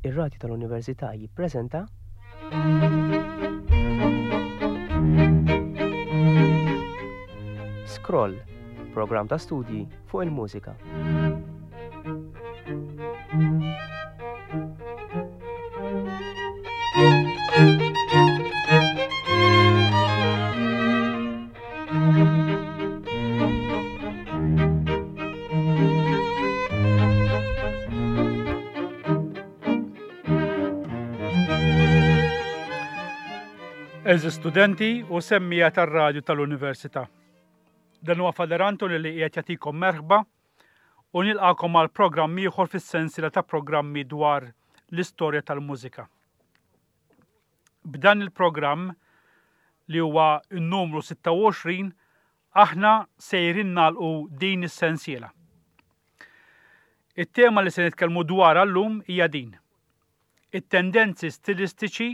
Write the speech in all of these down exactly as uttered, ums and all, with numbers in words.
Ir-Radju tal-Università jippreżenta Scroll, programm ta' studji fuq il-mużika. Eżis studenti u semmija tar-radju tal-Università. Dan huwa Father Anthony li qiegħed jagħtikom merħba u nilqakom għal programm ieħor fis-sensiela ta' programmi dwar l-istorja tal-mużika. B'dan il-programm li huwa n-numru sitta u għoxrin aħna sejrin nagħlqu din is-sensiela. It-tema li se nitkellmu dwarha llum hija din: it-tendenzi stilistiċi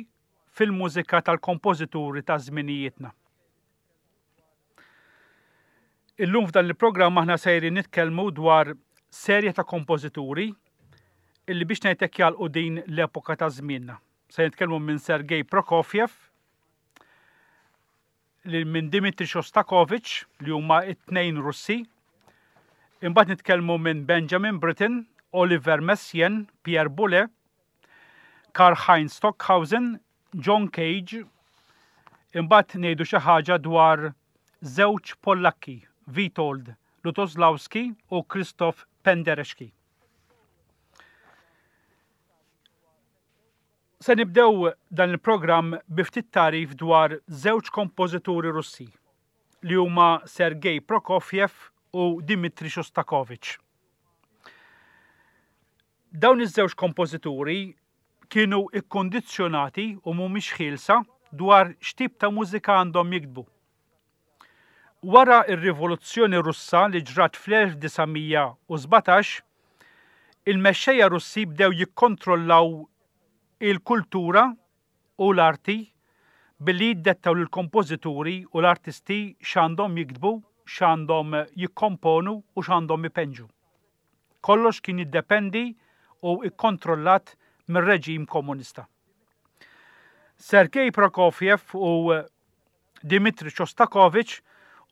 fil-mużika tal-kompożituri ta' żminijietna. Illum f'dan il-programm aħna sejrin nitkellmu dwar serje ta' kompożituri illi biex ngħidlek jagħlqu din l-epoka ta' żmienna. Se nitkellmu minn Sergei Prokofiev, li minn Dmitri Shostakovich, li huma it-tnejn Russi. Imbagħad nitkellmu minn Benjamin Britten, Oliver Messiaen, Pierre Boulez, Karl Heinz Stockhausen, John Cage. Imbagħad ngħidu xi ħaġa dwar żewġ Pollakki, Witold Lutoslawski u Krzysztof Penderecki. Se nibdew dan il-programm bi ftit tarif dwar żewġ kompożituri Russi li huma Sergei Prokofiev u Dmitri Shostakovich. Dawn iż-żewġ kompożituri kienu ikkondizzjonati u mhumiex ħielsa dwar x'tip ta' mużika għandhom jiktbu. Wara r-Rivoluzzjoni Russa li ġrat fl-elf disa' mija u sbatax, il-mexxejja Russi bdew jikkontrollaw il-kultura u l-arti billi jiddettaw lill-kompożituri u l-artisti x'għandhom jiktbu, x'għandhom jikkomponu u x'għandhom ipenġu. Kollox kien jiddependi u ikkontrollat mir-reġim komunista. Sergei Prokofiev u Dmitri Shostakovich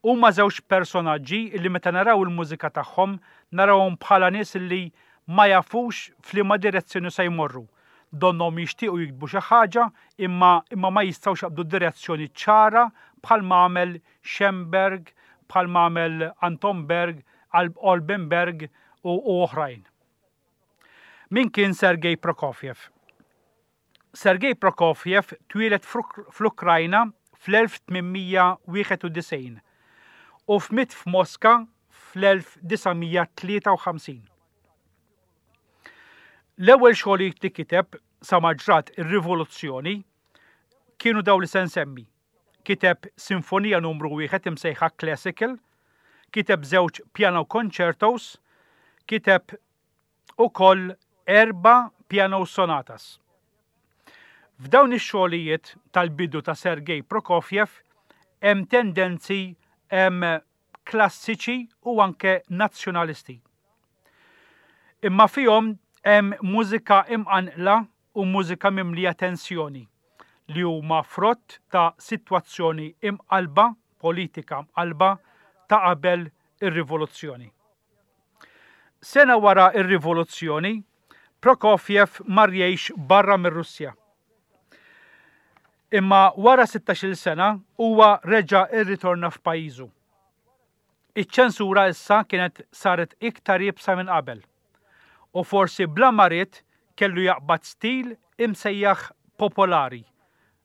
huma żewġ personaġġi li meta naraw il-mużika tagħhom narawhom bħala nies li ma jafux f'liema direzzjoni se jmorru. Donnhom jixtiequ jiktbu xi ħaġa imma, imma ma jistgħux jaqbdu direzzjoni ċara bħal ma għamel Schoenberg, bħal ma għamel Anton Berg, Alban Berg u, u oħrajn. Min kien Sergei Prokofiev? Sergei Prokofiev twieled fl-Ukrajna fl-elf tmien mija wieħed u disgħin u fmiet f'Moska fl-elf disa' mija tlieta u ħamsin. L-ewwel xogħlijiet li kiteb sa ma ġrat ir-rivoluzzjoni kienu daw li se nsemmi. Kiteb Sinfonija numru wieħed imsejħa Classical, kiteb żewġ piano concertos, kiteb ukoll erba' piano sonatas. F'dawn ix-xogħlijiet tal-bidu ta' Sergei Prokofiev hemm tendenzi hemm klassiċi u anke nazzjonalisti. Imma fihom hemm mużika imqanqla u mużika mimlija tensjoni li huma frott ta' sitwazzjoni imqalba, politika mqalba ta' qabel ir-rivoluzzjoni. Sena wara ir-rivoluzzjoni, Prokofiev mar jgħix barra mir-Russja. Imma wara sittax-il sena huwa reġa' rritorna f'pajjiżu. Iċ-ċensura issa kienet saret iktar iebsa minn qabel u forsi bla ma ried kellu jaqbad stil imsejjaħ popolari,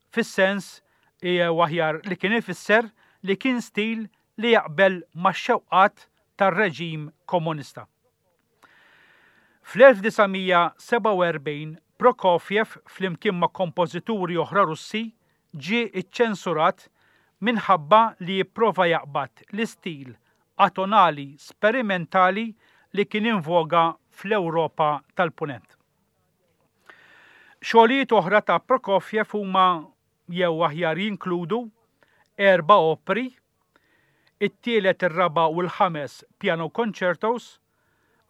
fis-sens jew aħjar li kien ifisser li kien stil li jaqbel max-xewqat tar-reġim komunista. Fl-elf disa' mija sebgħa u erbgħin Prokofiev flimkien ma' kompożituri oħra Russi ġie iċċensurat minħabba li jipprova jaqbad l-istil atonali sperimentali li kien invoga fl-Ewropa tal-Punent. Xogħlijiet oħra ta' Prokofiev huma jew aħjar jinkludu erba' opri, it-tielet, ir-raba' u l-ħames piano concertos,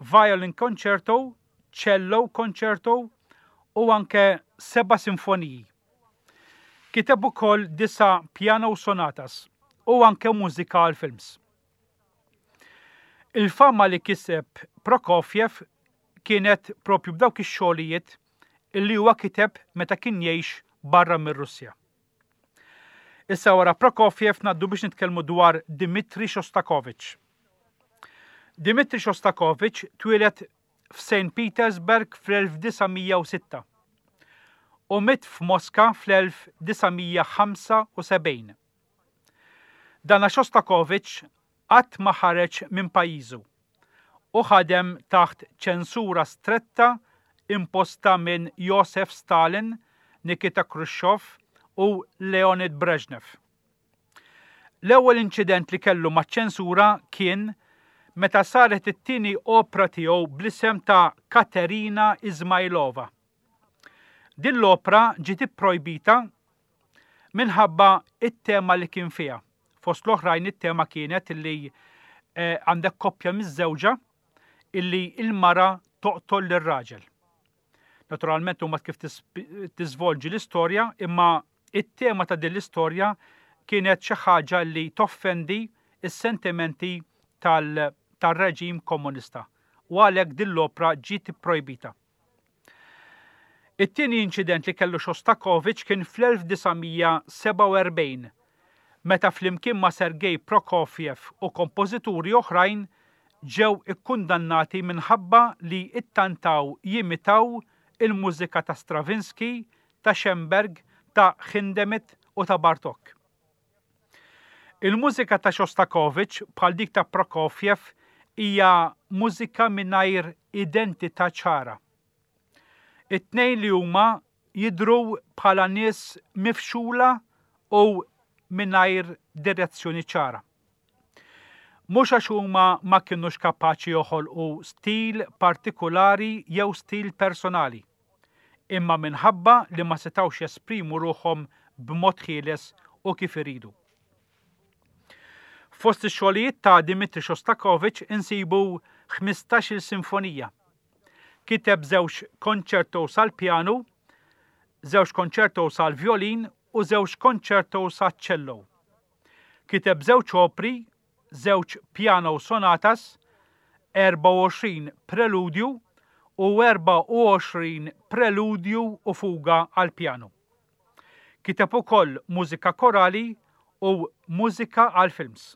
violin concerto, cello concerto u anke seba' sinfoniji. Kiteb ukoll disa' piano sonatas u anke mużika għal films. Il-fama li kiseb Prokofjev kienet propju b'dawk ix-xogħlijiet illi huwa kiteb meta kien jgħix barra mir-Russja. Issa wara Prokofjev ngħaddu biex nitkellmu dwar Dmitri Shostakovich. Dmitri Shostakovich twieled f'Saint Petersburg fl-elf disa' mija u sitta u miet f'Moska fl-elf disa' mija ħamsa u sebgħin. Dana Shostakovich qatt ma ħareġ minn pajjiżu u ħadem taħt ċensura stretta imposta minn Joseph Stalin, Nikita Khrushchev u Leonid Brezhnev. L-ewwel inċident li kellu maċ-ċensura kien meta saret it-tieni opra tiegħu bl-isem ta' Katerina Izmailova. Din l-opra ġiet ipprojbita minħabba it-tema li kien fiha. Fost l-oħrajn it-tema kienet illi, eh, għandek koppja miż-żewġa illi il-mara toqtol lir-raġel. Naturalment huma kif tis-, tiżvolġi l-istorja, imma it-tema ta' din l-istorja kienet xi ħaġa li toffendi s-sentimenti tal-, tar-reġim komunista u għalhekk din l-opra ġiet ipprojbita. It-tieni inċident li kellu Shostakovich kien fl-elf disa' mija sebgħa u erbgħin, meta flimkien ma' Sergei Prokofjev u kompożituri oħrajn ġew ikkundannati minħabba li ittantaw jimitaw il-mużika ta' Stravinsky, ta' Schoenberg, ta' Hindemith u ta' Bartók. Il-mużika ta' Shostakovich bħal dik ta' Prokofjev hija mużika mingħajr identità ċara. It-tnejn li huma jidhru bħala nies mifxula u mingħajr direzzjoni ċara. Mhux għax huma ma kinux kapaċi joħolqu stil partikolari jew stil personali, imma minħabba li ma setgħux jesprimu ruħhom b'mod ħieles u kif iridu. Fost ix-xogħlijiet ta' Dmitri Shostakovich insibu ħmistax-il sinfonija. Kiteb żewġ konċertos għal pjanu, żewġ konċertos għal violin u żewġ konċertos għal cello. Kiteb żewġ opri, żewġ piano sonatas, erba' u għoxrin preludju u erba' u għoxrin preludju u fuga għal pjanu. Kiteb ukoll mużika korali u mużika għal films.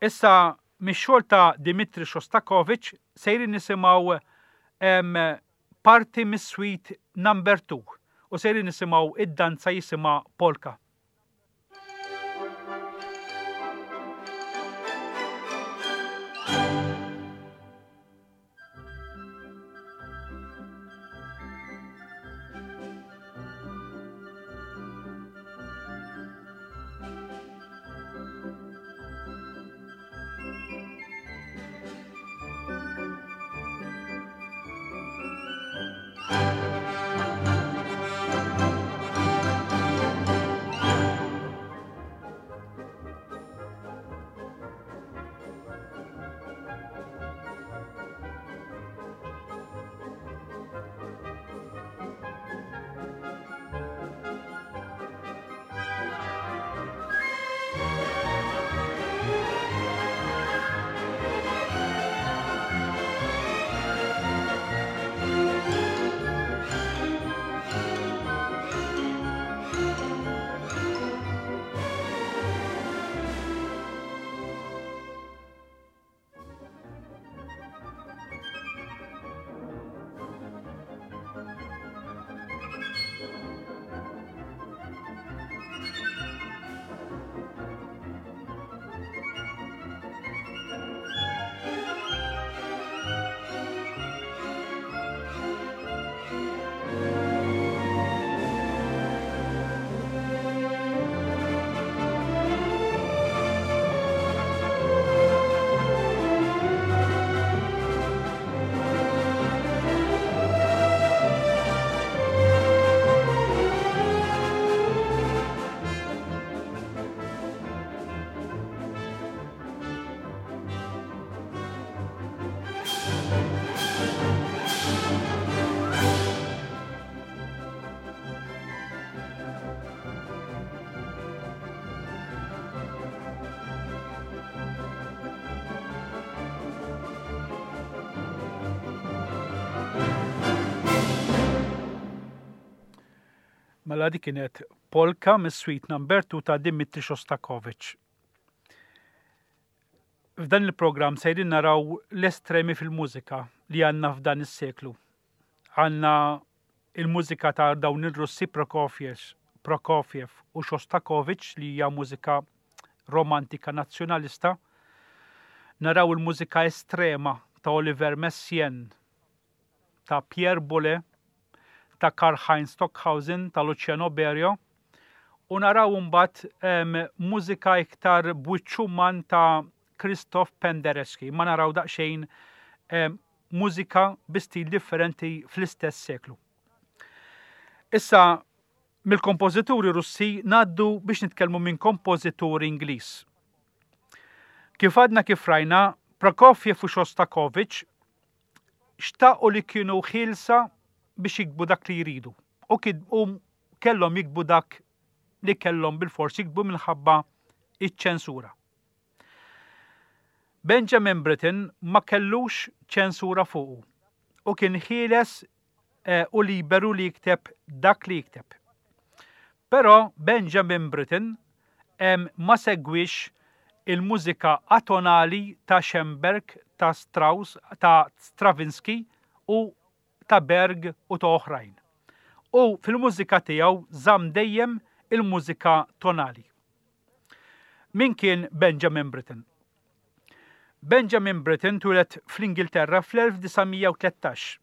Issa mix-xogħol ta' Dmitri Shostakovich sejrin nisimgħu, em, parti mis-suite number two u sejrin nisimgħu id-danza jisimha Polka. Thank you. Mela dik kienet Polka mis-Suite Number two ta' Dimitri Shostakovich. F'dan il-programm sejrin naraw l-estremi fil-mużika li għandna f'dan is-seklu. Għandna il-mużika ta' dawn ir-Russi Prokofiev, Prokofiev u Shostakovich li hija mużika romantika nazzjonalista. Naraw il-mużika estrema ta' Oliver Messiaen, ta' Pierre Boulez, ta' Karl-Heinz Stockhausen, ta' Luciano Berio, u naraw mbagħad mużika iktar b'wiċċ uman ta' Krzysztof Penderecki. Ma naraw daqsxejn mużika bi stil differenti fl-istess seklu. Issa, mill-kompożituri Russi ngħaddu biex nitkellmu minn kompożitur Ingliż. Kif għadna kif rajna, Prokofiev u Shostakovich xtaqu li kienu ħielsa biex jiktbu dak li jridu. U u kellhom jiktbu dak li kellhom bil-fors jiktbu minħabba iċ-ċensura. Benjamin Britten ma kellux ċensura fuqu u kien ħieles eh, u liberu li jikteb dak li jikteb. Però Benjamin Britten ma segwix il-mużika atonali ta' Schoenberg, ta' Strauss, ta' Stravinsky u ta' Berg u ta' oħrajn. U fil-mużika tiegħu żamm dejjem il-mużika tonali. Min kien Benjamin Britten? Benjamin Britten twieled fl-Ingilterra fl-elf disa' mija u tlettax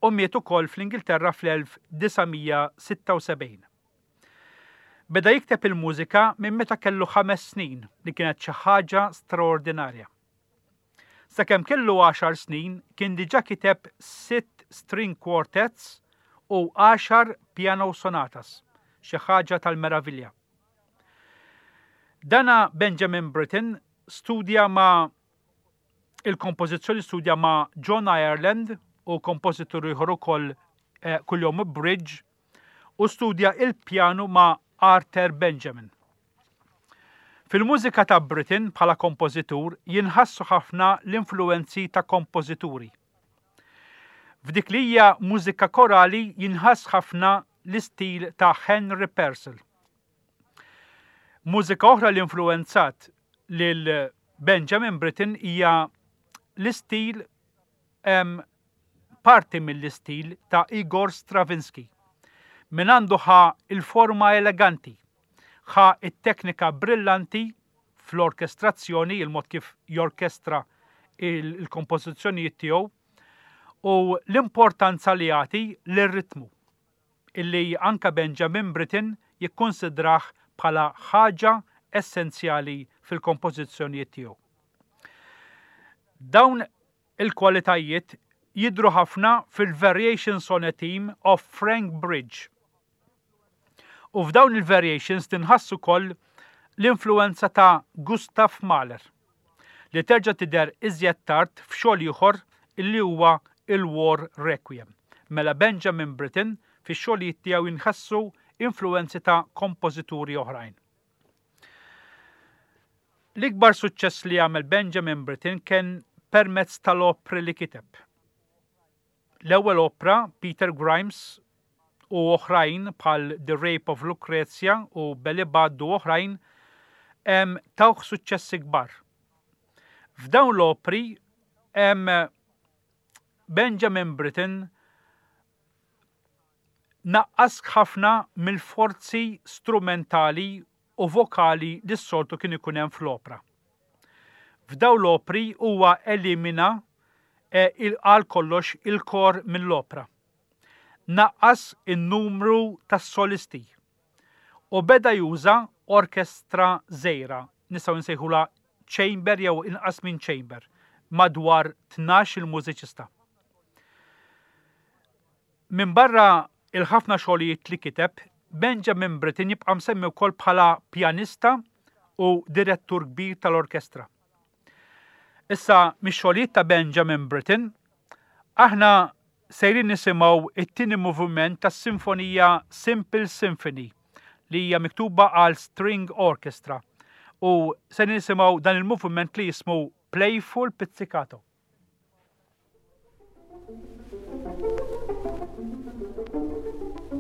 u miet ukoll fl-Ingilterra fl-elf disa' mija sitta u sebgħin. Beda jikteb il-mużika minn meta kellu ħames snin, li kienet xi ħaġa straordinarja. Sakemm kellu għaxar snin kien diġà kiteb sitt string quartets u għaxar piano sonatas, xi ħaġa tal-meravilja. Dana Benjamin Britten studja ma' il-kompożizzjoni studja ma' John Ireland u kompożitur ieħor ukoll, eh, kuljom Bridge, u studja il-pjanu ma' Arthur Benjamin. Fil-mużika ta' Britten bħala kompożitur jinħassu ħafna l-influenzi ta' kompożituri. F'dik li hija mużika korali jinħass ħafna l-istil ta' Henry Purcell. Mużika oħra li influenzat lil Benjamin Britten hija l-istil, em, parti mill-istil ta' Igor Stravinsky. Min għandu ħa il-forma eleganti, ħa it-teknika brillanti fl-orkestrazzjoni, il-mod kif jorkestra il-, il-kompożizzjonijiet tiegħu, u l-importanza li jagħti lir-ritmu, illi anka Benjamin Britten jikkonsidrah bħala ħaġa essenzjali fil-kompożizzjonijiet tiegħu. Dawn il-kwalitajiet jidhru ħafna fil-Variations on a Theme of Frank Bridge. U f'dawn il-variations tinħass ukoll l-influenza ta' Gustav Mahler, li terġa' tidher iżjed tard f'xogħol ieħor illi huwa il-War Requiem. Mela Benjamin Britten fix-xogħlijiet tiegħu jinħassu influenzi ta' kompożituri oħrajn. L-ikbar suċċess li għamel Benjamin Britten kien permezz tal-opri li kiteb. L-ewwel opra, Peter Grimes, u oħrajn bħal The Rape of Lucrezia u Belly Budd u oħrajn, em, tawh suċċessi kbar. F'dawn l-opri, em, Benjamin Britten naqqas ħafna mill-forzi strumentali u vokali li s-soltu kien ikun hemm fl-opra. F'dawn l-opri huwa elimina, eh, il-, għal kollox il-kor mill-opra. Naqqas in-numru tas-solisti u beda juża orkestra żgħira, nistgħu nsejħulha chamber jew inqas minn chamber, madwar tnax il-mużiċista. Min barra il-ħafna xogħlijiet li kiteb, Benjamin Britten jibqa' msemmi wkoll bħala pjanista u direttur kbir tal-orkestra. Issa, mix-xogħlijiet ta' Benjamin Britten, aħna sejrin nisimgħu it-tieni moviment tas-sinfonija Simple Symphony li hija miktuba għal string orchestra u se nisimgħu dan il-moviment li jismu Playful Pizzicato.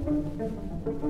Thank you.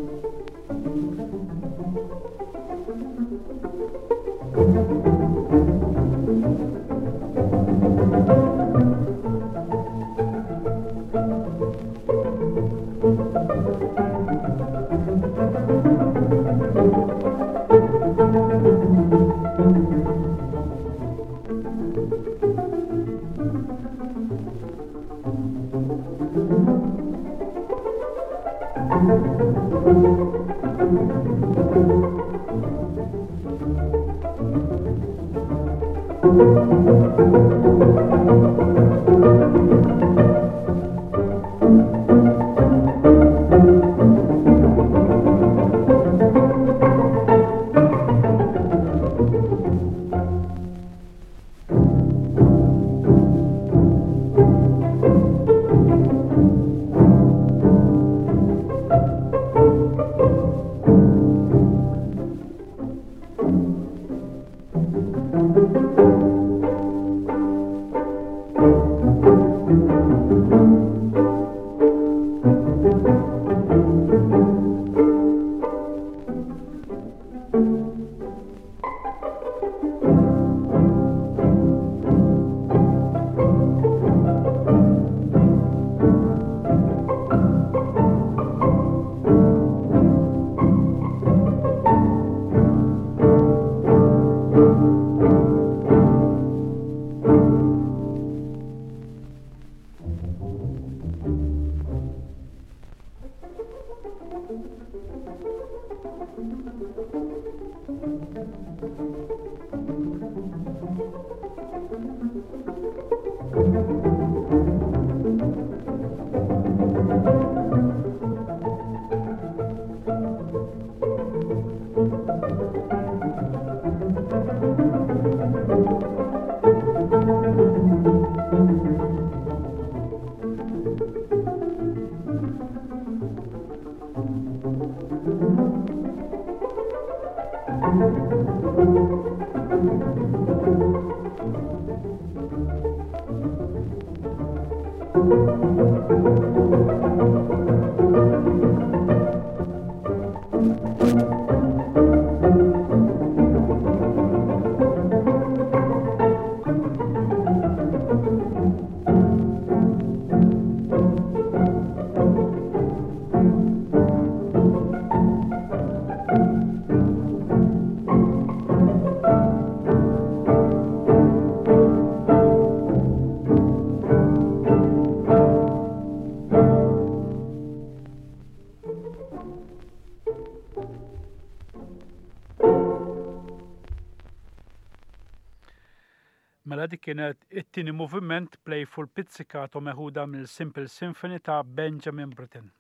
Mela dik kienet it-tieni moviment Playful Pizzicato meħuda mill-Simple Symphony ta' Benjamin Britten.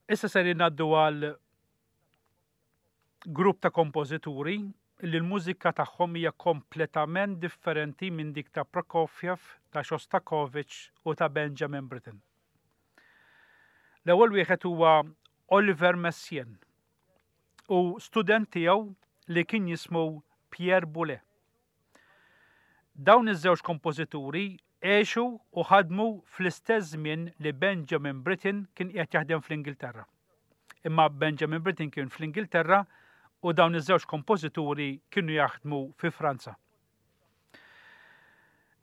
Issa ser ngħaddu għal grupp ta' kompożituri li l-mużika tagħhom hija kompletament differenti minn dik ta' Prokofiev, ta' Shostakovich u ta' Benjamin Britten. L-ewwel wieħed huwa Oliver Messiaen u student tiegħu li kien jismu Pierre Boulez. Dawn iż-żewġ kompożituri għexu u ħadmu fl-istess żmien li Benjamin Britten kien qiegħed jaħdem fl-Ingilterra. Imma Benjamin Britten kien fl-Ingilterra u dawn iż-żewġ kompożituri kienu jaħdmu fi Franza.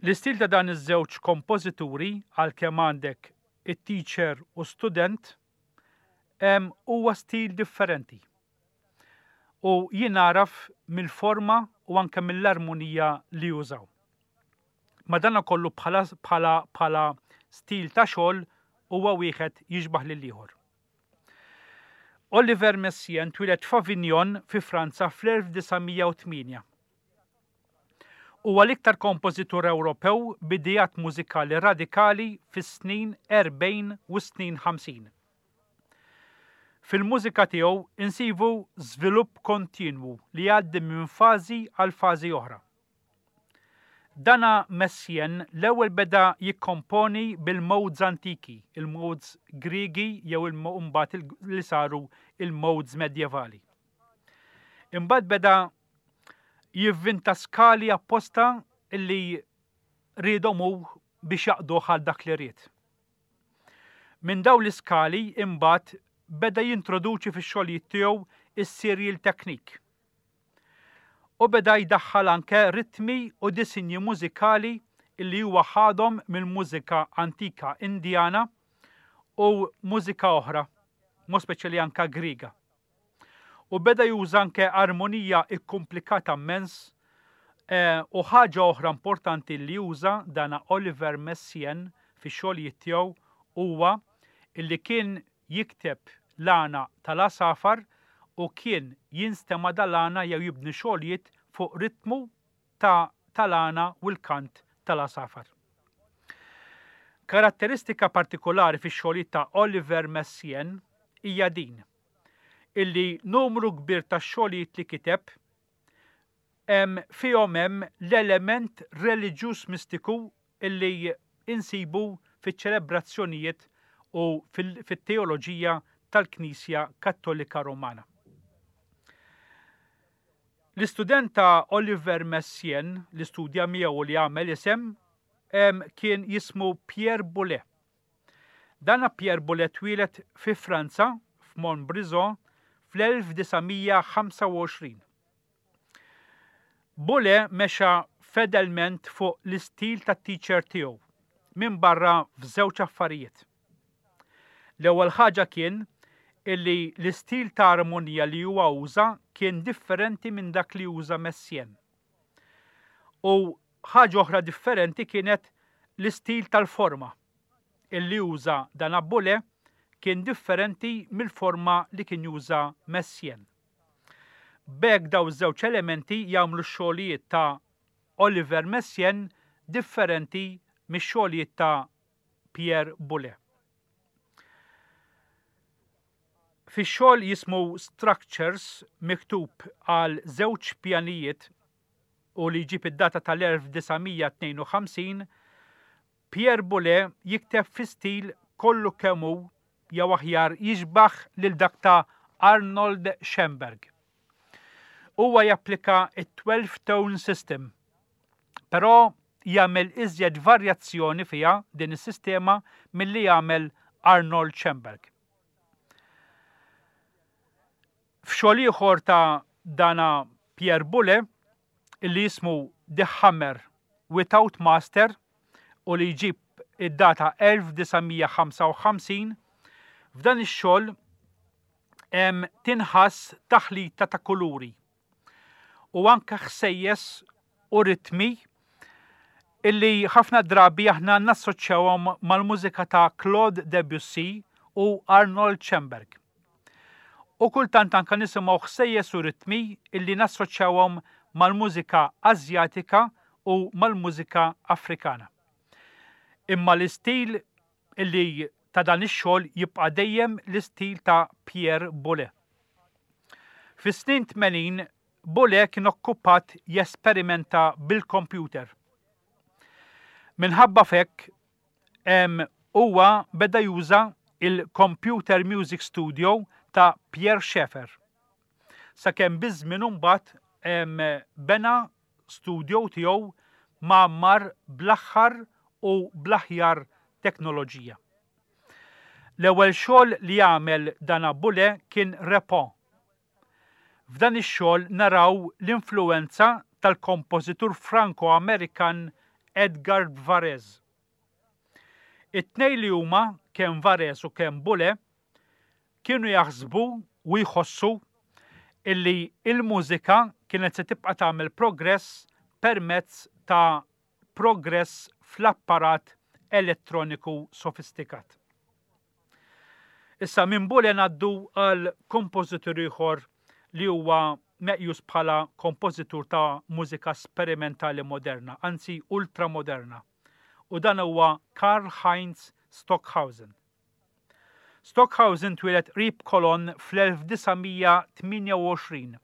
L-istil ta' dan iż-żewġ kompożituri, għalkemm għandek it-teacher u student, huwa stil differenti. U jien nagħraf mill-forma u anke mill-armonija li jużaw. Madankollu bħala bħala bħala stil ta' xogħol huwa wieħed jixbaħ lil ieħor. Oliver Messiaen twieled f'Avignon fi Franza fl-elf disa' mija u tmienja. Huwa l-iktar kompożitur Ewropew b'idejat mużikali radikali fis-snin erbgħin u snin ħamsin. Fil-mużika tiegħu insibu żvilupp kontinwu li jgħaddi minn fażi għal fażi oħra. Dana Messiaen l-ewwel beda jikkomponi bil-modes antiki, il-modes Griegi jew il-mbagħad li saru il-modes medjevali. Imbagħad beda jivvinta skali apposta li riedhom hu biex jaqduh għal dak li ried. Minn dawn l-iskali imbagħad beda jintroduċi fix-xogħlijiet tiegħu is-serial technique. U beda jdaħħal anke ritmi u disinji mużikali li huwa ħadhom mill-mużika antika Indjana u mużika oħra, mod speċjali anka Griega. U beda juża anke armonija ikkomplikata immens, eh, u ħaġa oħra importanti li juża dana Oliver Messiaen fix-xogħlijiet tiegħu huwa illi kien jikteb l-għana tal-għasafar u kien jinstema' dal-għana jew jibni xogħlijiet fuq ritmu ta' tal-għana u l-kant tal-għasafar. Karatteristika partikolari fix-xogħlijiet ta' Oliver Messiaen hija din, illi numru kbir ta' xogħlijiet li kiteb hemm fihom hemm l-element reliġjuż mistiku illi insibu fiċ-ċelebrazzjonijiet u fit-teoloġija tal-Knisja Kattolika Romana. L-istudent ta' Oliver Messiaen li studja miegħu li għamel isem kien jismu Pierre Boulez. Dana Pierre Boulez twieled fi Franza, f'Montbrison, fl-elf disa' mija ħamsa u għoxrin. Boulez mexa fedelment fuq l-istil tat-teacher tiegħu, minn barra f'żewġ affarijiet. L-ewwel ħaġa kien illi l-istil ta' armonija li huwa uża kien differenti minn dak li uża Messiaen. U ħaġa oħra differenti kienet l-istil tal-forma illi uża dan Boulez kien differenti mill-forma li kien juża Messiaen. B'hekk daw iż-żewġ elementi jagħmlu x-xogħlijiet ta' Oliver Messiaen differenti mix-xogħlijiet ta' Pierre Boulez. Fix-xogħol jismu Structures miktub għal żewġ pjanijiet u li jġib id-data tal-elf disa' mija tnejn u ħamsin, Pierre Boulez jikteb fi stil kollu kemm hu jew aħjar jixbaħ lil dak ta' Arnold Schoenberg. Huwa japplika it-twelve tone system, però jagħmel iżjed varjazzjoni fiha din is-sistema milli jagħmel Arnold Schoenberg. F'xogħol ieħor ta' dana Pierre Boulez illi jismu The Hammer Without Master u li jġib id-data elf disa' mija ħamsa u ħamsin, f'dan ix-xogħol hemm tinħass taħlita ta' kuluri u anke ħsejjes u ritmi illi ħafna drabi aħna nassoċjawhom mal-mużika ta' Claude Debussy u Arnold Schoenberg. U kultant anke nisimgħu ħsejjes u ritmi illi nassoċjawhom mal-mużika Asjatika u mal-mużika Afrikana. Imma l-istil illi ta' dan ix-xogħol jibqa' dejjem l-istil ta' Pierre Boulez. Fis-snin tmenin Boulez kien okkupat jesperimenta bil-kompjuter. Minħabba fekk, em, huwa beda juża il-Computer Music Studio ta' Pierre Schaeffer. Sakemm biż-żmien imbagħad, em, bena studio tiegħu mgħammar bl-aħħar u bl-aħjar teknoloġija. L-ewwel xogħol li għamel dana Boulez kien Repos. F'dan ix-xogħol naraw l-influenza tal-kompożitur Franco-Amerikan Edgar Varèse. It-tnejn li huma, kemm Varèse u kemm Boulez, kienu jaħsbu u jħossu illi il-mużika kienet se tibqa' tagħmel progress permezz ta' progress fl-apparat elettroniku sofistikat. Issa minn Boulez ngħaddu għal kompożitur ieħor li huwa meqjus bħala kompożitur ta' mużika sperimentali moderna, anzi ultramoderna, u dan huwa Karl Heinz Stockhausen. Stockhausen twieled qrib Cologne fl-elf disa' mija tmienja u għoxrin.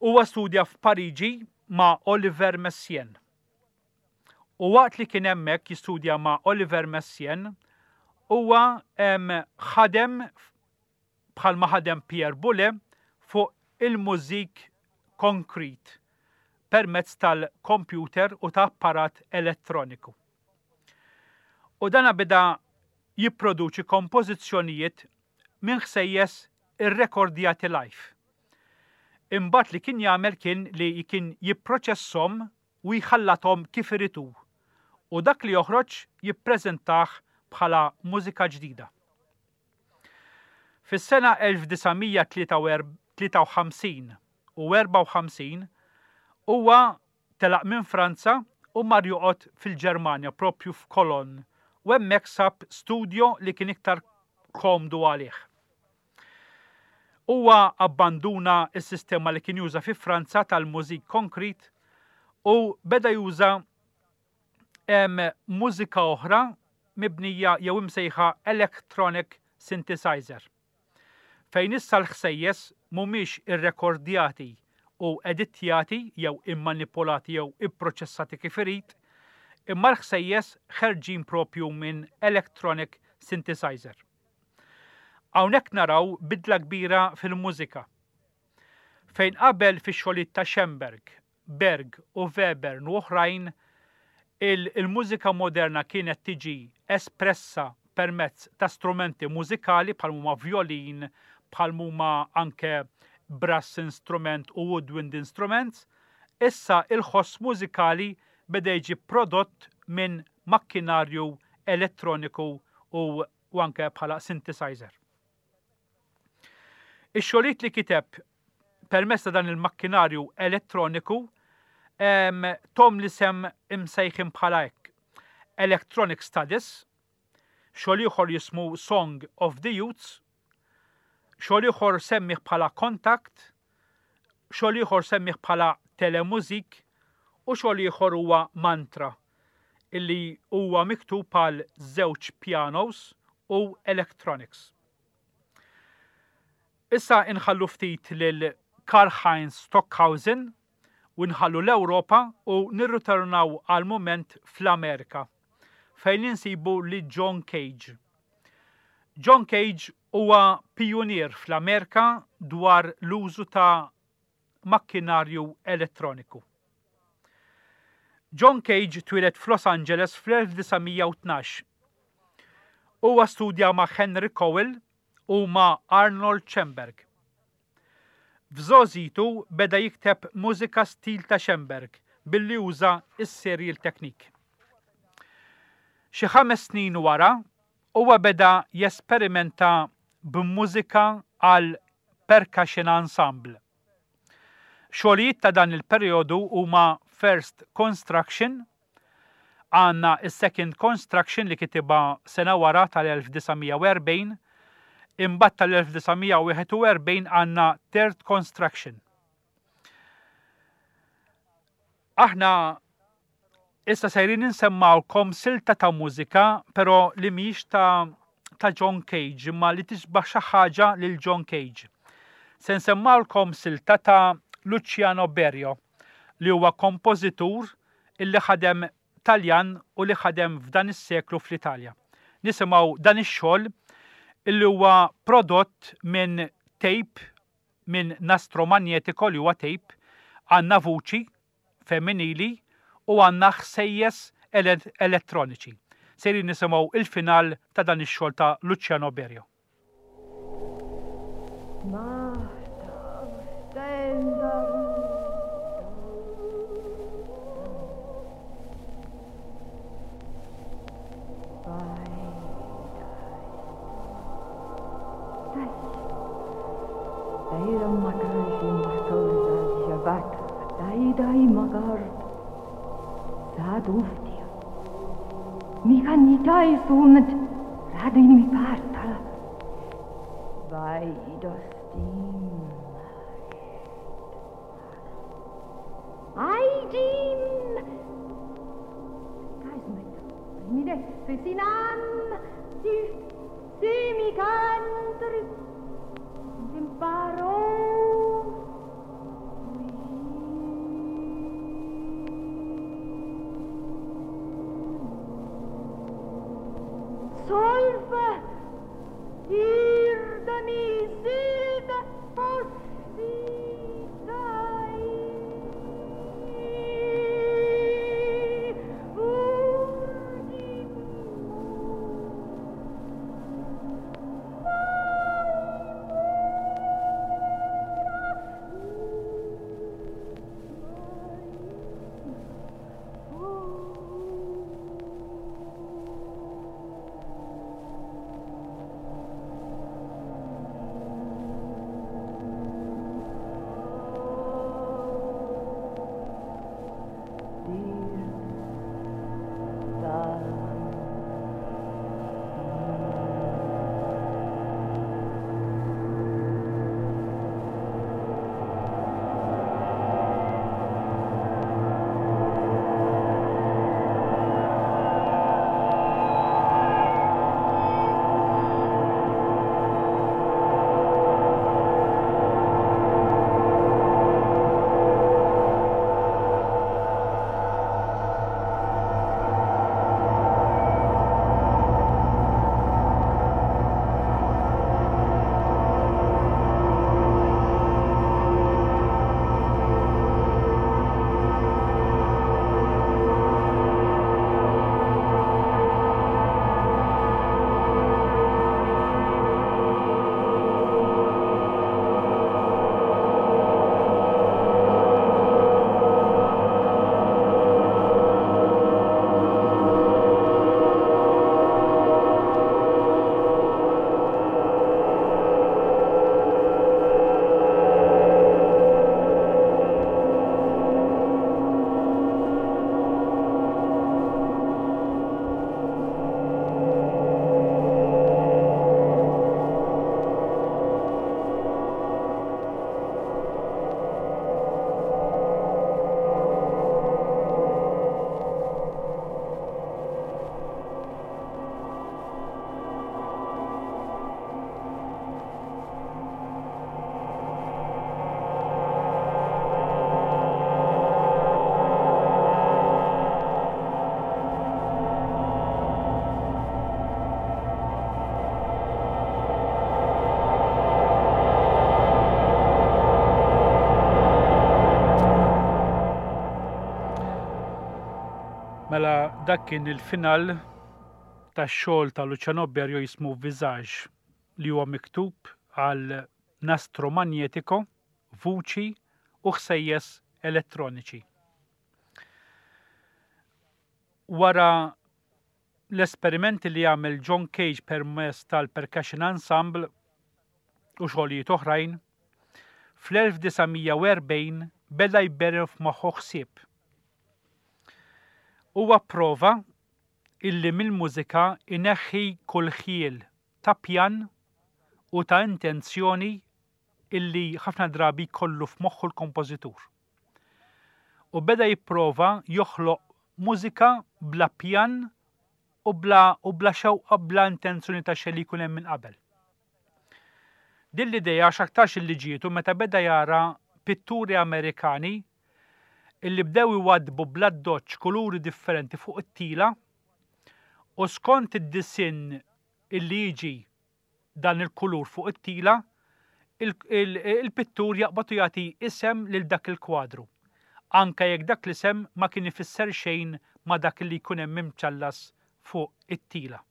Huwa studja f'Pariġi ma' Oliver Messiaen. U waqt li kien hemmhekk jistudja ma' Oliver Messiaen, huwa, em, ħadem bħalma ħadem Pierre Boulez fuq il-mużik konkret permezz tal-kompjuter u ta' apparat elettroniku. U dana beda jipproduċi kompożizzjonijiet minn ħsejjes irrekordjati live. Imbagħad li kien jagħmel kien li kien jipproċesshom u jħallathom kif iridu u dak li joħroġ jippreżentah bħala mużika ġdida. Fis-sena elf disa' mija tlieta u erb-, tlieta u ħamsin u erbgħa u ħamsin huwa telaq minn Franza u mar joqgħod fil-Ġermanja propju f'Cologne u hemmhekk sab studio li kien iktar komdu għalih. Huwa abbanduna s-sistema li kien juża fi Franza tal-musique concrète u beda juża mużika oħra mibnija jew imsejħa electronic synthesizer. Fejn issa l-ħsejjes mhumiex irrekordjati u editjati jew immanipolati jew ipproċessati kif irid, imma l-ħsejjes ħerġin propju minn electronic synthesizer. Hawnhekk naraw bidla kbira fil-mużika. Fejn qabel fix-xogħlijiet ta' Schoenberg, Berg u Webern u oħrajn, il-mużika moderna kienet tiġi espressa permezz ta' strumenti mużikali bħal huma violin, bħal huma anke brass instrument u woodwind instruments, issa il-ħoss mużikali beda jiġi prodott minn makkinarju elettroniku u, u anke bħala synthesizer. Ix-xogħlijiet li kiteb permezz ta' dan il-makkinarju elettroniku tahom l-isem imsejħin bħala hekk. Electronic Studies, xogħol ieħor jismu Song of the Youths, xogħol ieħor semmih bħala Contact, xogħol ieħor semmih bħala Telemuzik u xogħol ieħor huwa Mantra illi huwa miktub bħal żewġ pianos u electronics. Issa inħallu ftit lil Karl-Heinz Stockhausen u nħallu l-Ewropa u nirritornaw għal moment fl-Amerika fejn insibu li John Cage. John Cage huwa pionier fl-Amerika dwar l-użu ta' makkinarju elettroniku. John Cage twieled f'Los Angeles fl-elf disa' mija u tnax. Huwa studja ma' Henry Cowell u ma' Arnold Schoenberg. F'żgħożitu beda jikteb mużika stil ta' Schoenberg billi uża s-serial technique. Xi ħames snin wara, huwa beda jesperimenta b'mużika għal percussion ensemble. Xogħlijiet ta' dan il-perjodu huma First Construction, għandna is-Second Construction li kitibha sena wara tal-elf disa' mija u erbgħin, imbagħad tal-elf disa' mija u wieħed u erbgħin għandna Third Construction. Aħna issa sejrin insemmawkom silta ta' mużika, però li mhijiex ta', ta' John Cage, imma li tisbaħ xi ħaġa lil John Cage. Se nsemmawkom silta ta' Luciano Berio, li huwa kompożitur illi ħadem Taljan u li ħadem f'dan is-seklu fl-Italja. Nisimgħu dan ix-xogħol illi huwa prodott minn tape, minn nastro magnetico li huwa tape, għandna vuċi femminili u għandna ħsejjes ele-, elettroniċi. Sejrin nisimgħu il-final ta' dan ix-xogħol ta' Luciano Berio. Mela dak kien il-final tax-xogħol ta' Luciano Berio jismu Visage, li huwa miktub għal nastro magnetico, vuċi u ħsejjes elettroniċi. Wara l-esperimenti li għamel John Cage permezz tal-Percussion Ensemble u xogħlijiet oħrajn, fl-elf disa' mija u erbgħin beda jberren f'moħħu ħsieb. Huwa prova illi mill-mużika ineħħi kull ħjiel ta' pjan u ta' intenzjoni illi ħafna drabi kollu f'moħħu l-kompożitur. U beda jipprova joħloq mużika bla pjan u bla u bla xewqa, bla intenzjoni ta' xejn li jkun hemm minn qabel. Din l-idea x'aktarx illi ġietu meta beda jara pitturi Amerikani illi bdew iwadbu bl-addoċċ kuluri differenti fuq it-tila u skont id-disinn illi jiġi dan il-kulur fuq it-tila, il-pittur jaqbad u jagħti isem lil dak il-kwadru, anka jekk dak l-isem ma kien ifisser xejn ma dak li jkun hemm imċallas fuq it-tila.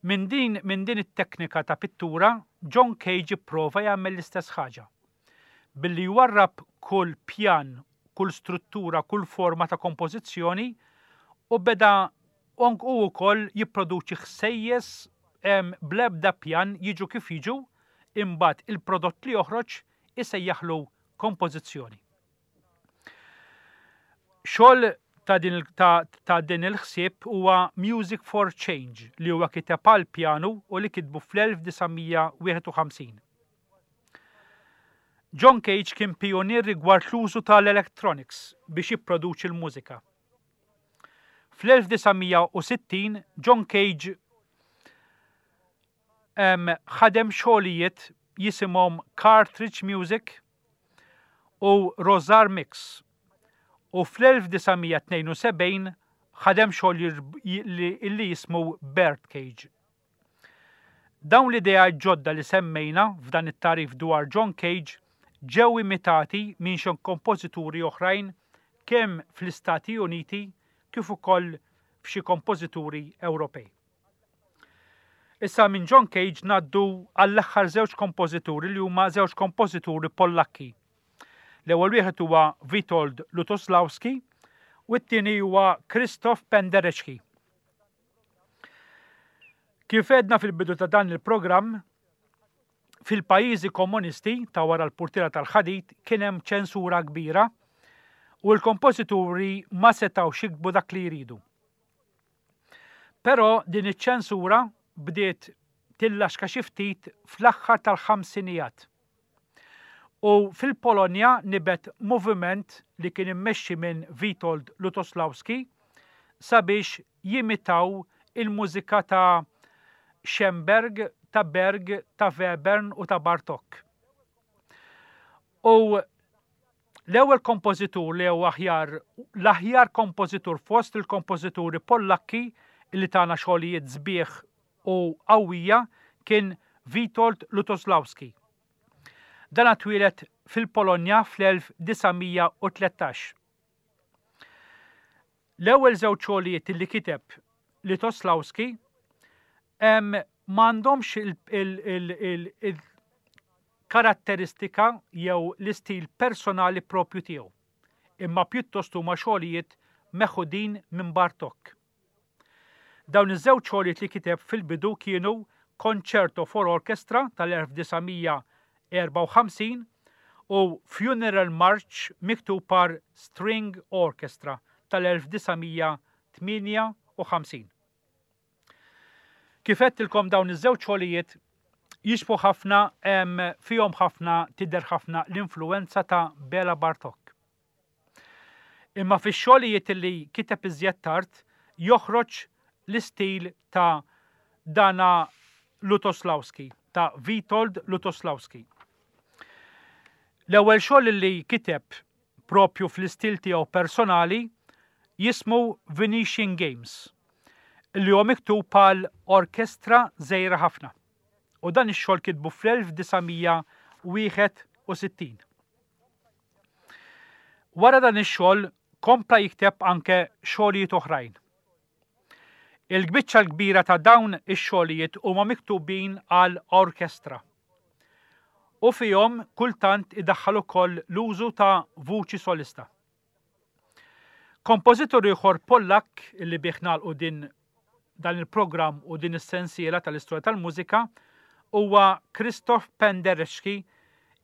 Min din, min din it-teknika ta' pittura, John Cage ipprova jagħmel l-istess ħaġa, billi jwarrab kull pjan, kull struttura, kull forma ta' kompożizzjoni u beda u wkoll jipproduċi ħsejjes bl-ebda pjan, jiġu kif jiġu, imbagħad il-prodott li joħroġ isejjaħlu kompożizzjoni. Xogħol ta' din, ta, ta' din il-ħsieb huwa Music for Change, li huwa kiteb għal pjanu u li kitbu fl-elf disa' mija wieħed u ħamsin. John Cage kien pionier rigward l-użu tal-electronics biex jipproduċi l-mużika. Fl-elf disa' mija u sittin John Cage ħadem xogħlijiet jisimhom Cartridge Music u Rosar Mix u fl-elf disa' mija tnejn u sebgħin ħadem xogħol li jismu Birdcage. Dawn l-idea ġodda li semmejna f'dan it-tagħrif dwar John Cage ġew imitati minn xi kompożituri oħrajn, kemm fl-Istati Uniti kif ukoll f'xi kompożituri Ewropej. Issa minn John Cage ngħaddu għall-aħħar żewġ kompożituri, li huma żewġ kompożituri Pollakki. L-ewwel wieħed huwa Witold Lutoslawski u t-tieni huwa Krzysztof Penderecki. Kif għedna fil-bidu ta' dan il-programm, fil-pajjiżi komunisti ta' wara l-purtiera tal-ħadid kien hemm ċensura kbira u l-kompożituri ma setgħux jiktbu dak li jridu. Però din iċ-ċensura bdiet tillaxka xi ftit fl-aħħar tal-ħamsinijat. U fil-Polonja nibet moviment li kien immexxi minn Witold Lutoslawski sabiex jimitaw il-mużika ta' Schoenberg, ta' Berg, ta' Webern u ta' Bartok. U l-ewwel kompożitur, li huwa aħjar l-aħjar kompożitur fost il-kompożituri Pollakki li tana xogħlijiet sbieħ u qawwija, kien Witold Lutoslawski. Dan twieled fil-Polonja fl-elf disa' mija u tlettax. L-ewwel żewġ xogħlijiet li kiteb Lutoslawski m'għandhomx il-karatteristika jew l-istil personali propju tiegħu, imma pjuttost huma xogħlijiet meħudin minn Bartok. Dawn iż-żewġ xogħlijiet li kiteb fil-bidu kienu Concerto for Orchestra tal-elf disa' mija erbgħa u ħamsin u Funeral March miktub par String Orchestra tal-elf disa' mija tmienja u ħamsin. Kif għedtilkom, dawn iż-żewġ xogħlijiet jixbhu ħafna, fihom ħafna, tidher ħafna l-influenza ta' Bela Bartok. Imma fix-xogħlijiet li kiteb iżjed tard joħroġ l-istil ta' dana Lutoslawski, ta' Witold Lutoslawski. L-ewwel xogħol li kiteb propju fl-istil tiegħu personali jismu Venetian Games, li huwa miktub għal orkestra żgħira ħafna. U dan ix-xogħol kitbu fl-elf disa' mija wieħed u sittin. Wara dan ix-xogħol kompla jikteb anke xogħlijiet oħrajn. Il-biċċa l-kbira ta' dawn ix-xogħlijiet huma miktubin għal orkestra. U fihom kultant idaħħal ukoll l-użu ta' vuċi solista. Kompożitur ieħor Pollak illi bih nagħlqu din dan il-programm u din is-sensiela tal-istorja tal-mużika huwa Krzysztof Penderecki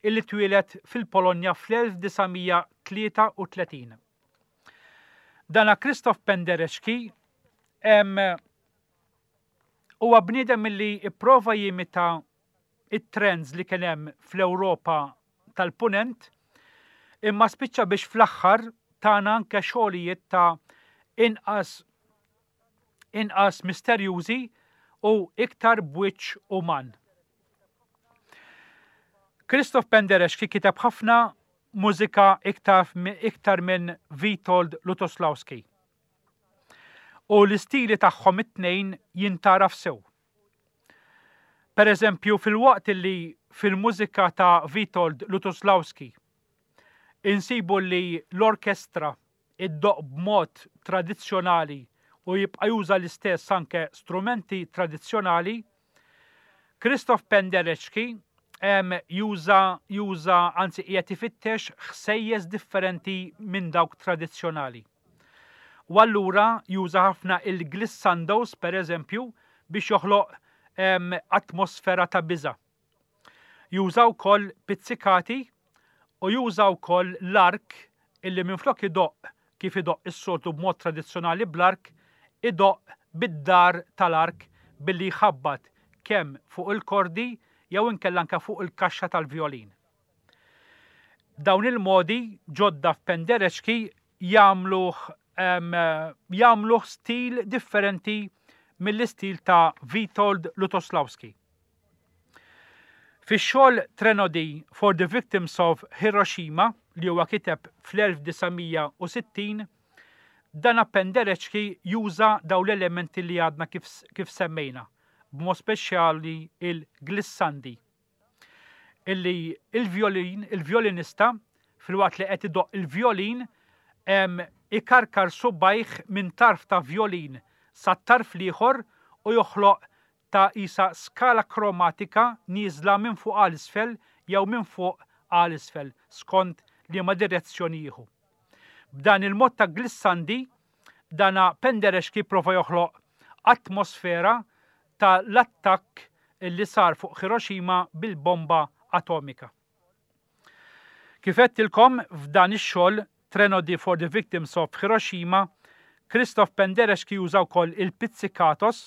illi twieled fil-Polonja fl-elf disa' mija tlieta u tletin. Dana Krzysztof Penderecki em, huwa bniedem illi ipprova jimita it-trends li kien hemm fl-Ewropa tal-Punent, imma spiċċa biex fl-aħħar tana anke xogħlijiet ta' inqas, inqas misterjużi u iktar b'wiċċ uman. Krzysztof Penderecki kiteb ħafna mużika iktar, iktar minn Witold Lutoslawski. U l-istili tagħhom it-tnejn jintaraf sew. Per eżempju, fil-waqt li fil-mużika ta' Witold Lutoslawski insibu li l-orkestra iddoqq b'mod tradizzjonali u jibqa' juża l-istess anke strumenti tradizzjonali, Krzysztof Penderecki em, juża, juża, anzi qiegħed ifittex ħsejjes differenti minn dawk tradizzjonali. U allura juża ħafna il-glissandos, per eżempju, biex joħloq, em, atmosfera ta' biża'. Juża wkoll pizzikati u juża wkoll l-ark illi minflok idoqq kif idoqq is-soltu b'mod tradizzjonali bl-ark, idoqq bid-dar tal-ark billi jħabbat kemm fuq il-kordi jew inkella anke fuq il-kaxxa tal-vjolin. Dawn il-modi ġodda f'Penderecki jagħmluh, em, jagħmluh stil differenti mill-istil ta' Witold Lutoslawski. Fix-xogħol Threnody for the Victims of Hiroshima li huwa kiteb fl-elf disa' mija u sittin, dan Penderecki juża dawn l-elementi li għadna kif, kif semmejna, b'mod speċjali il-glissandi, illi il-violin, il-violinista filwaqt li qed idoqq il-violin, em, ikarkar subajh minn tarf ta' violin sa tarf l-ieħor u joħloq ta' isa skala kromatika nieżla minn fuq għal isfel jew minn fuq għal isfel skont liema direzzjoni jieħu. B'dan il-mod ta' glissandi, dana Penderecki prova joħloq atmosfera ta' l-attakk li sar fuq Hiroshima bil-bomba atomika. Kif għedtilkom f'dan ix-xogħol Threnody for the Victims of Hiroshima, Krzysztof Penderecki juża wkoll il-pizzicatos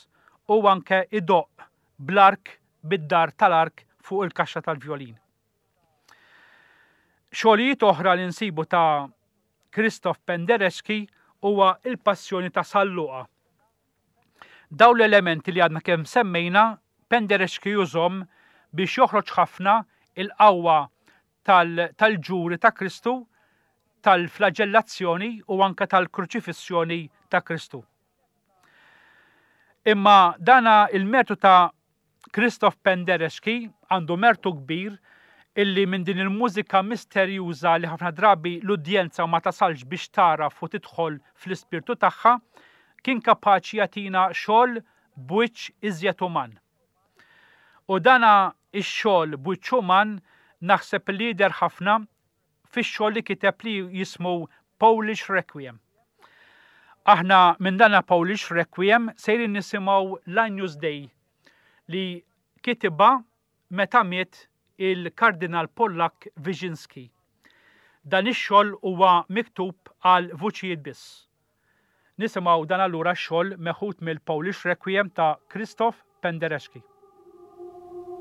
u anke idoqq bl-ark bid-dar tal-ark fuq il-kaxxa tal-vjolin. Xogħlijiet oħra li nsibu ta' Krzysztof Penderecki huwa il-Passjoni ta' San Luqa. Dawn l-elementi li għadna kemm semmejna, Penderecki jużhom biex joħroġ ħafna il-qawwa tal-, tal-ġuri ta' Kristu, tal-flagellazzjoni u anke tal-kruċifissjoni ta' Kristu. Imma dana il-mertu ta' Krzysztof Penderecki għandu mertu kbir illi minn din il-mużika misterjuża li ħafna drabi l-udjenza ma tasalx biex taraf u tidħol fl-ispirtu tagħha, kien kapaċi jagħtina xogħol b'wiċċ iżjed uman. U dana ix-xogħol b'wiċċ uman naħseb li jidher ħafna fix-xogħol li kiteb li jismu Polish Requiem. Aħna minn dana Polish Requiem sejrin nisimgħu l-Agnus Dei li kitibha meta miet il-Kardinal Pollak Wyszynski. Dan ix-xogħol huwa miktub għal vuċijiet biss. Nisimgħu dan allura x-xogħol meħud mill-Polish Requiem ta' Krzysztof Penderecki. Thank you.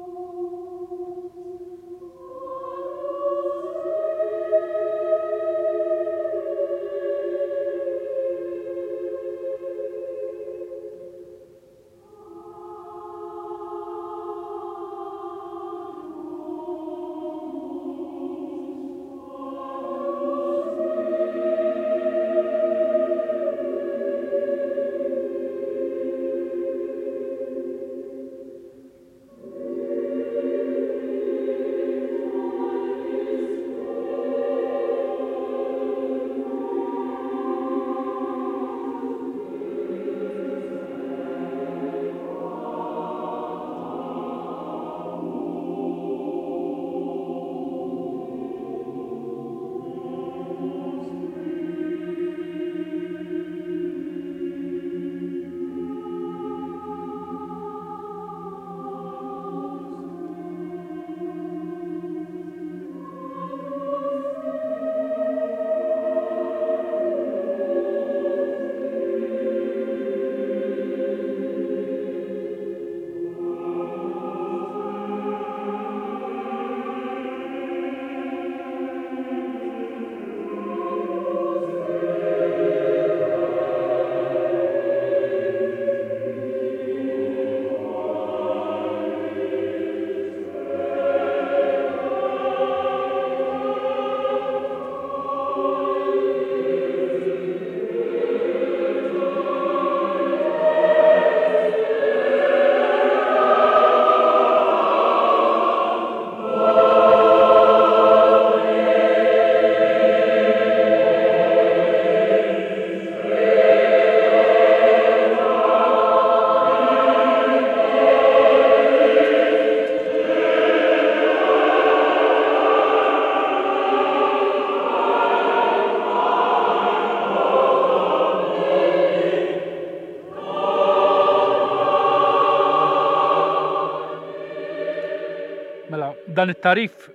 Dan it-tagħrif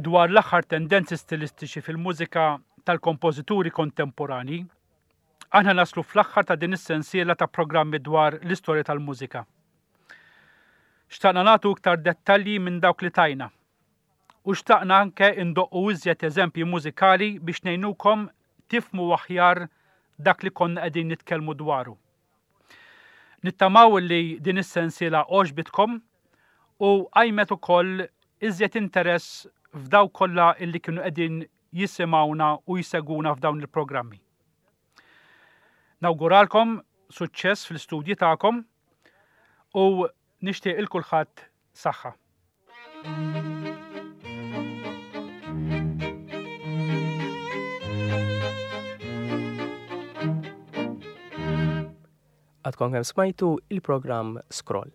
dwar l-aħħar tendenzi stilistiċi fil-mużika tal-kompożituri kontemporani, aħna naslu fl-aħħar ta' din is-sensiela ta' programmi dwar l-istorja tal-mużika. Xtaqna nagħtu iktar dettalji minn dawk li tajna. U xtaqna anke indoqqu iżjed eżempji mużikali biex ngħinukom tifhmu aħjar dak li konna qegħdin nitkellmu dwaru. Nittamaw li din is-sensiela għoġbitkom u qajmet ukoll iżjed interess f'dawk kollha illi kienu qegħdin jisimgħuna u jsegwuna f'dawn il-programmi. Nawguralkom suċċess fl-istudji tagħkom u nixtieq il kulħadd saħħa. Għadkom kemm smajtu il-programm Scroll.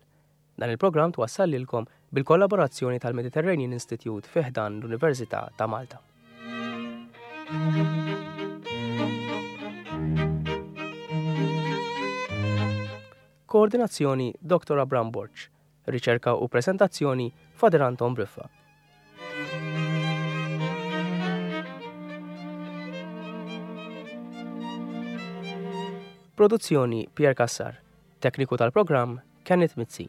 Dan il-programm twassal lilkom bil-kollaborazzjoni tal-Mediterranean Institute fi ħdan l-Università ta' Malta. Koordinazzjoni Dottor Abram Borg, riċerka u presentazzjoni Father Anton Briffa. Produzzjoni Pierre Cassar, tekniku tal-programm Kenneth Mizzi.